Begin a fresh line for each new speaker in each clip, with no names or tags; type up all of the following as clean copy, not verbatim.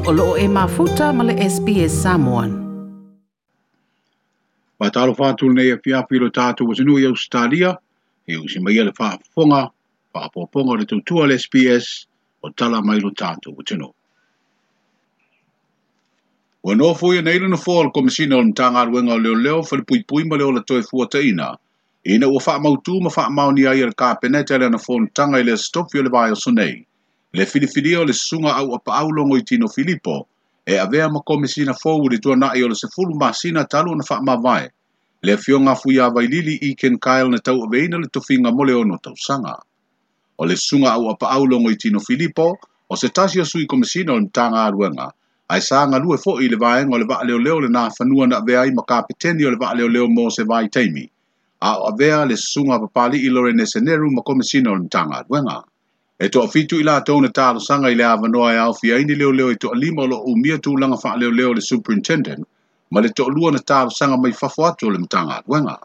O loo e mafuta ma le SBS Samoan.
Faatalofa atu lenei afiafi i lo tatou atunuu i Ausetalia, e usi mai le faafofoga, faaopoopoga o le tautua a le SBS o tala mai lo tatou atunuu. Ua nofoia nei le nofoa o le Komesina o le Matagaluega o Leoleo, Falepuipui ma le Ola Toefuataiga, ina ua faamautu ma faamaonia ai e le Kapeneta i lana fonotaga i le Aso Tofi o le vaiaso nei, le filifilia o le susuga Auapaau Logoitino Filipo e avea ma Komesina fou i le tuanai o le 10 masina talu ona faamavae le afioga Fuia Vailili i Ken Kyle na tauaveina le tofiga mo le 6 tausaga. O le susuga Auapaau Logoitino Filipo o se tasi o sui Komesina o le Matagaluega, ae sa galue foi i le vaega o le vaaleoleo le nafanua na avea ai ma kapeteni o le vaaleoleo mo se vaitaimi, a o avea le susuga Papali'i Lorene Seneru ma Komesina o le Matagaluega. E toafitu i latou na talosaga i le avanoa e aofia ai ni leoleo e toalima o lo o umia tulaga faaleoleo le Superintendent ma le toalua na talosaga mai fafo atu o le Matagaluega.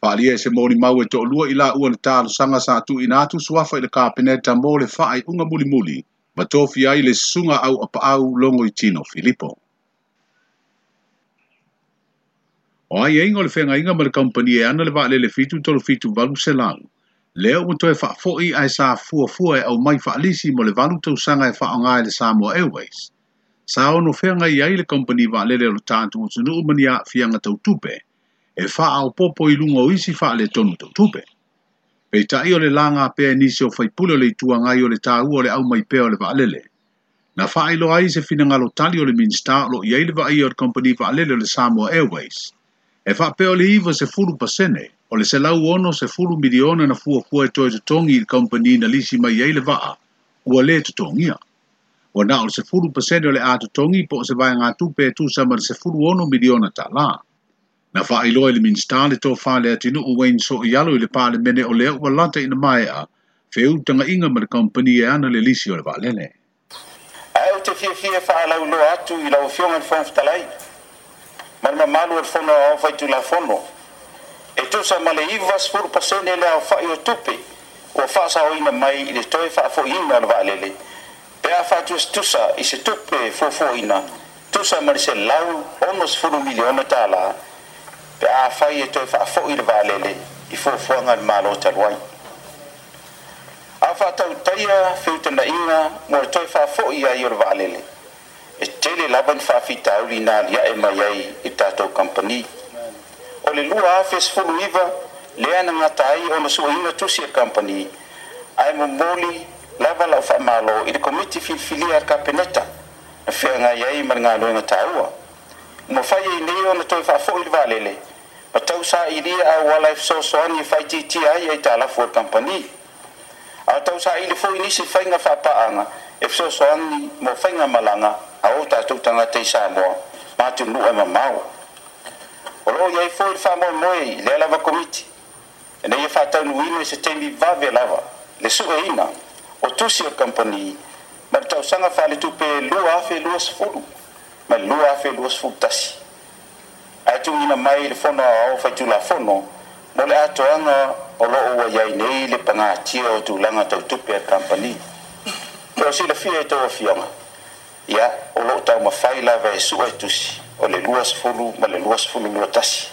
Faaalia e se molimau e toalua i laua na talosaga sa tuuina atu suafa i le Kapeneta mo le faaiuga mulimuli ma tofia ai le susuga Auapaau Logoitino Filipo. O aiaiga o le feagaiga ma le kamupani e ana le vaalele 737 800, lea ua toe faafoi ae sa fuafua e aumai faalisi mo le 8 tausaga e faaaoga e le Samoa Airways. Sa ono feagai ai le kamupani vaalele o le tatou atunuu ma ni aafiaga tautupe, e faaopoopo i luga o isi faaletonu tautupe. Peitai o le laga pea e nisi o faipule o le Itu Agai o le taua o le aumai pea o le vaalele. Na faailoa ai se finagalo tali o le Minisita o lo o i ai le vaaia o le kamupani vaalele o le Samoa Airways, e faapea o le 90% o le 160 miliona na fuafua e toe totogi i le kamupani na lisi mai ai le vaa, ua le totogia. Ua na o le 10% o le a totogi po o se vaegatupe e tusa ma le 16 miliona tala. Na faailoa i le Minisita le tofa le atunuu Wayne Soialo i le Palemene o lea ua lata ina maea feutagaiga ma le kamupani e ana le lisi o le vaalele.
Ae ou te fiafia e faalauiloa atu i lau Afioga i le Fofoga Fetalai ma le mamalu o le Fono Aoao Faitulafono, e tusa ma le 90% le aofai o tupe ua faasaoina mai i le toe faafoiina o le vaalele pe a faatusatusa i se tupe fuafuaina tusa ma le $160 miliona tala pe afai e toe faafoi le vaalele i fuafuaga a le Malo talu ai. A faatautaia feutagaiga mo le toe faafoi ai o le vaalele, e tele lava ni faafitauli na aliae mai ai i le tatou kamupani. O le 2019 lea na gata ai ona sueina tusi a le kamupani, ae momoli lava lau faamalo i le komiti filifilia a le Kapeneta na feagai ai ma le galuega taua. Ua mafai ai nei ona toe faafoi le vaalele ma tausailia auala e fesoasoani e faaitiitia ai aitalafu a le kamupani. A o tausaili foi nisi faiga faapaaga e fesoasoani mo faigamalaga a o tatou tagata i Samoa ma atunuu e mamao. O lo o i ai foi le faamoemoe i lea lava komiti ina ia faataunuuina i se taimi vave lava le sueina o tusi o le kamupani ma le tausaga faaletupe 2020 ma le 2021, ae tuuina mai i le Fono Aoao Faitulafono mo le atoaga o lo o ua i ai nei le pagatia o tulaga tau tupe a le kamupani. Pe o silafia e tou afioga, ia, o lo o taumafai lava e sue tusi o le 20 ma le 2021.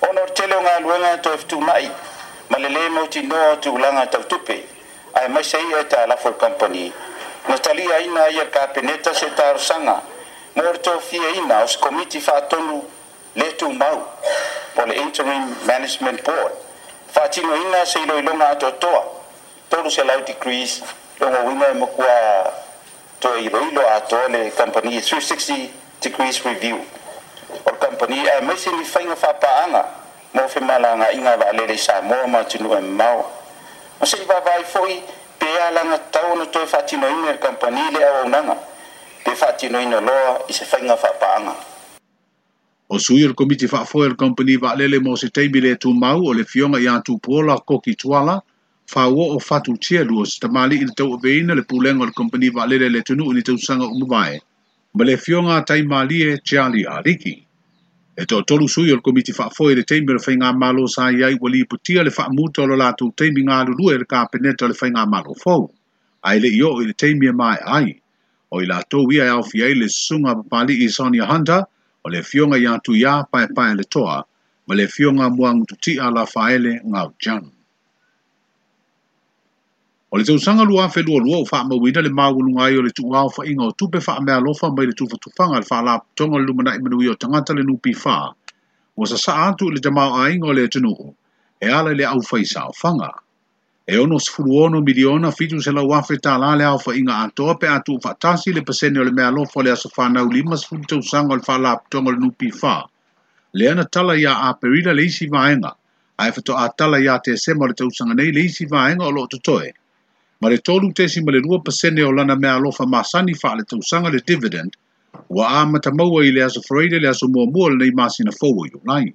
Ona o le tele o galuega toe fetuunai ma le lē mautinoa o tulaga tau tupe, aemaise ai aitalafu a le kamupani, na taliaina ai e le Kapeneta se talosaga mo le tofiaina o se komiti faatonu le tumau po o le Interim Management Board, faatinoina se iloiloga atoatoa 300 degrees, lona uiga e matua toe iloilo atoa le kamupani, 360 degrees review o le kamupani, aemaise ni faiga faapaaga mo femalagaiga a vaalele i Samoa ma atunuu e mamao. Ma se i vaavaai foi pe alagatatau ona toe faatinoina e le kamupani le auaunaga pe faatinoina loa i se faiga faapaaga.
O sui o le komiti faafoe o le kamupani vaalele mo se taimi le tumau o le Afioga ia Tupuola Koki Tuala, Fauoo Fatu Tielu o se tamalii na tauaveina le pulega o le kamupani vaalele a le atunuu i ni tausaga ua mavae, ma le Afioga Taimalie Charlie Aliki. E toatolu sui o le komiti faafoe i le taimi o le faigamalo sa i ai ua lipotia le faamuta o lo latou taimi galulue i le Kapeneta o le faigamalo fou, ae le i oo i le taimi e maea ai. O i latou ia e aofia ai le Susuga a Papali'i Sonia Hunter, o le Afioga ia Tuiā Paepaeletoa ma le Afioga Muagututia Lafaele Ngau Jang. O le tausaga 2022 ua faamauina le maualuga ai o le tuuaofaiga o tupe faameaalofa mai le tufatufaga a le Faalapotopotoga o le Lumanai Manuia o Tagata le NPF ua sasaa atu i le tamaoaiga o le atunuu e ala i le aufaisaofaga. E $66 miliona 700 afe tala le aofaiga atoa pe a tuufaatasi le pasene o le meaalofa o le aso fanau 50 tausaga o le Faalapotopotoga o le NPF lea na tala ia Aperila le isi vaega ae faatoa tala ia Tesema o le tausaga nei le isi vaega o lo o totoe ma le 3.2% o lana meaalofa masani faaletausaga le dividend ua amata maua i le aso Faraile le aso muamua o lenei masina fou o Iulai.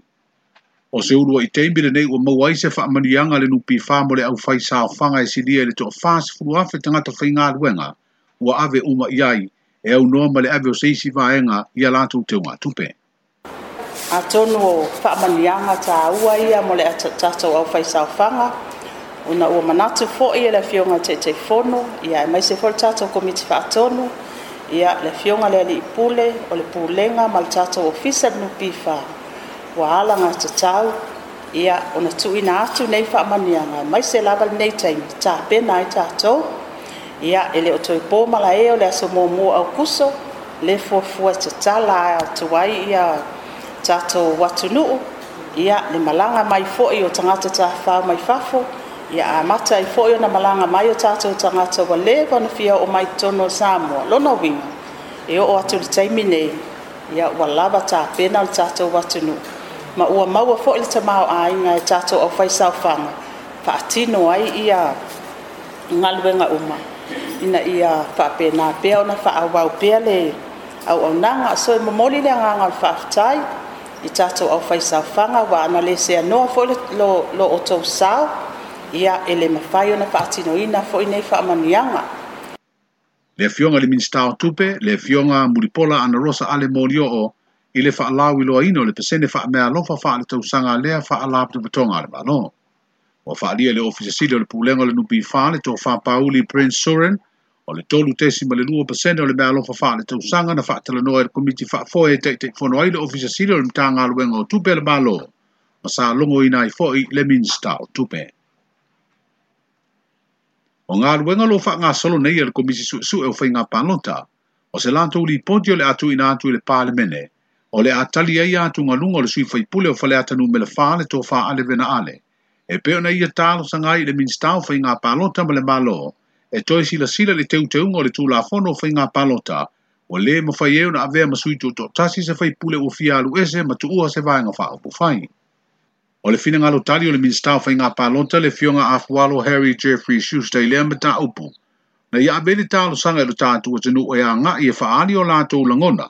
O se uluai taimi lenei ua maua ai se faamanuiaga le NPF mo le aufaisaofaga e silia i le 40,000 tagata faigaluega ua ave uma i ai e aunoa ma le ave o se isi vaega ia latou teugatupe.
Atonu o faamanuiaga taua ia mo le tatou aufaisaofaga, ona ua manatu foi e le Afioga i le Taitaifono, ia aemaise foi le tatou Komiti Faatonu, ia le Afioga i le Alii Pule o le Pulega ma le tatou Ofisa le NPF, ua alagatatau ia ona tuuina atu nei faamanuiaga, aemaise lava lenei taimi tapena ai tatou. Ia e le o toe po malae o le aso 1 o Aokuso le fuafua e tatala atu ai ia tatou atunuu, ia le malaga mai foi o tagata tafafao mai fafo, ia amata ai foi ona malaga mai o tatou tagata ua leva ona fia oo mai totonu o Samoa. Lona uiga e oo atu i le taimi nei, ia ua lava tapena le tatou atunuu ma ua maua foi le tamaoaiga e tatou aufaisaofaga faatino ai ia galuega uma ina ia faapena pea ona faaauau pea le auaunaga. So e momoli le agaga o le faafetai i tatou aufaisaofaga, ua ana le seanoa foi lo outou sao, ia e le mafai ona faatinoina foi nei faamanuiaga.
Le Afioga i le Minisita o Tupe, le Afioga Mulipola Anarosa Ale Molioo i le faalauiloaina o le pasene faameaalofa faaletausaga lea Faalapotopotoga a le Malo. Ua faaalia e le Ofisa Sili o le Pulega o le NPF le Tofa Pauli Prince Surin o le 3.2% o le meaalofa faaletausaga na faatalanoa e le Komiti Faafoe e Taitaifono ai le Ofisa Sili o le Matagaluega o Tupe a le Malo ma sa logoina ai foi le Minisita o Tupe. O galuega o lo o faagasolo nei e le Komisi Suesue o Faiga Palota, o se latou lipoti o le a tuuina atu i le Palemene, o le a tali ai atugaluga o le sui faipule o Faleata Nu.4 le Tofa Ale Vena Ale, e pei ona ia talosaga ai i le Minisita o Faiga Palota ma le Malo e toe silasila i le teuteuga o le Tulafono o Faiga Palota ua le mafai ai ona avea ma sui tutoatasi se faipule ua fia alu ese ma tuua se vaega faaupufai. O le finagalo tali o le Minisita o Faiga Palota le Afioga Afualo Harry Jeffrey Schuster i lea mataupu, na ia ave le talosaga i lo tatou atunuu e agai e faaali o latou lagona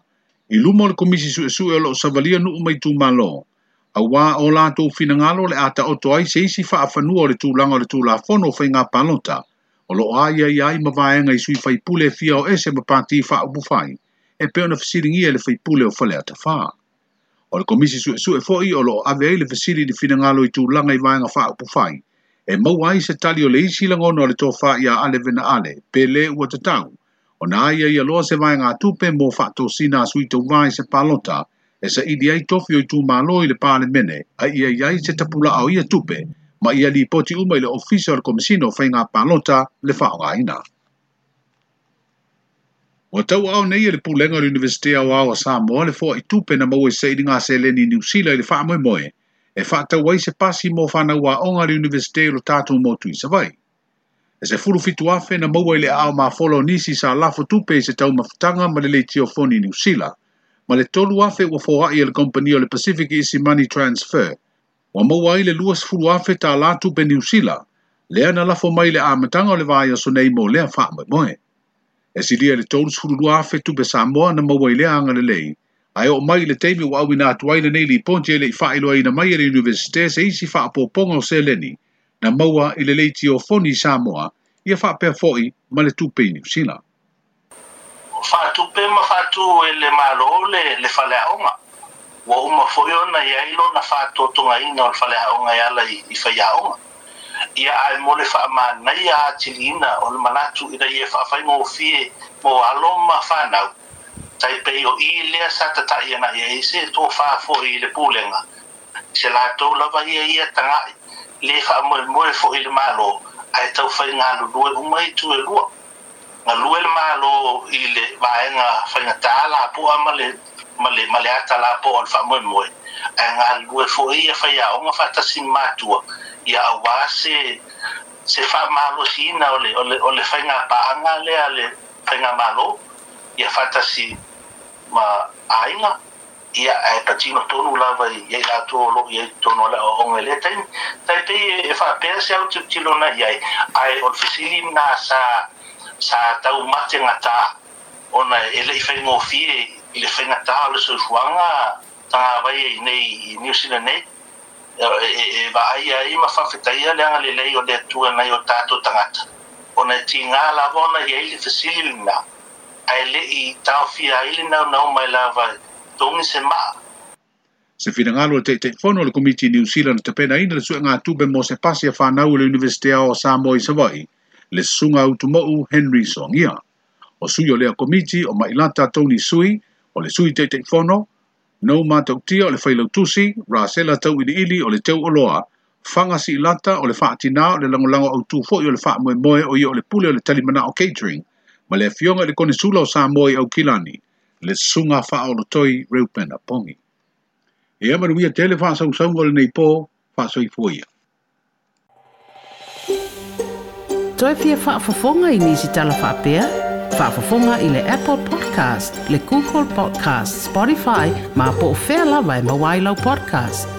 i luma o le Komisi Suesue o lo o savalia nuu ma itumalo, auā o latou finagalo le a taoto ai se isi faafanua o le tulaga o le Tulafono o Faiga Palota o lo o aiaia ai ma vaega i sui faipule e fia o ese ma pati faaupufai e pei ona fesiligia e le faipule o Faleata 4. O le Komisi Suesue foi o lo o ave ai le fesili i le finagalo i tulaga i vaega faaupufai e maua ai se tali o le isi lagona o le tofa ia Ale Vena Ale pe le ua tatau ona aiaia loa se vaegatupe mo faatosina a sui tauvā i se palota e saili ai tofi o itumalo i le Palemene a ia i ai se tapulaa o ia tupe ma ia lipoti uma i le Ofisa o le Komesina o Faiga Palota le faaaogaina. Ua tauaao nei e le Pulega o le Iunivesite Aoao a Samoa le foai tupe na maua i sailiga seleni i Niu Sila i le faamoemoe e faatau ai se pasi mo fanau aoga a le Iunivesite o lo tatou motu i Savaii. E 17,000 na maua i le aao mafola o nisi sa lafo tupe i se taumafataga ma le leitiofoni i Niu Sila, ma le 3,000 ua foai e le kompania o le Pacific Easy Money Transfer. Ua maua ai le 20,000 tala tupe Niu Sila, lea na lafo mai le amataga o le vaiaso nei mo lea faamoemoe. E silia i le 32,000 tupe Samoa na maua i lea agalelei, ae oo mai i le taimi ua auina atu ai lenei lipoti e le i faailoaina mai e le Iunivesite se isi faaopoopoga o seleni na maua i le leitiofoni i Samoa, ia faapea foi ma le tupe i Niu Sila.
Faatupe ma faatu e le Malo le faleaoga. Ua uma foi ona i ai lona faatotogaina o le faleaoga e ala i faiaoga. Ia ae mo le faamanaia atiliina o le manatu ina ia faafaigofie mo alo ma fanau, tai pei o i lea sa tata'i ana i ai se tofā fo'i i le pulega, se latou lava ia ia taga'i lē faamoemoe fo'i i le Mālō, ae taufai galulue uma itu e lua. Galue le Mālō i le vaega faigata lapoa ma le ma le ma le ata lapoa o le faamoemoe, ae galulue foi ia faiaoga faatasi ma matua, ia auā se se faamalosiina o le o le o le faigapaaga lea a le faigamālō, ia faatasi ma aiga. Ia, ae patino tonu lava i ai latou o lo o i ai i totonu o le aoaoga i lea taimi. Tai pei e faapea se autilotilo na i ai, ae o le fesili lena sa, sa tau mategata ona e le i faigofie i le faigata o le soifuaga tagavai ai nei i Niu Sila nei, e vaaia ai ma faafetaia le agalelei o le Atua nai o tatou tagata, ona e tiga lava ona i ai le fesili lena, ae le i taofia ai le naunau mai lava e togi se maa.
Se finagalo o le Taitaifono o le Komiti i Niu Sila na tapenaina le suegatupe mo se pasi a fanau i le Iunivesite Ao o Samoa i Savaii, le Susuga Utumo'u Henry Soagia. O sui o lea Komiti o Mailata Tony Sui, o le Sui Taitaifono, Nou Matautia o le Failautusi, Rasela Tauiliili o le Teuoloa, Faga Siilata o le Faatinā o le Lagolago Autū foi o le Faamoemoe o ia o le Pule o le Talimanao Catering, ma le Afioga i le Konesula o Samoa i Aukilani, le Susuga Faaolotoi Reupena Pongi. Ia manuia tele faasausauga o lenei po, faasoifua ia.
Toe fia faafofoga i nisi tala faapea? Faafofoga i le Apple Podcast, le Google Podcast, Spotify, ma po o fea lava e maua ai lau podcast.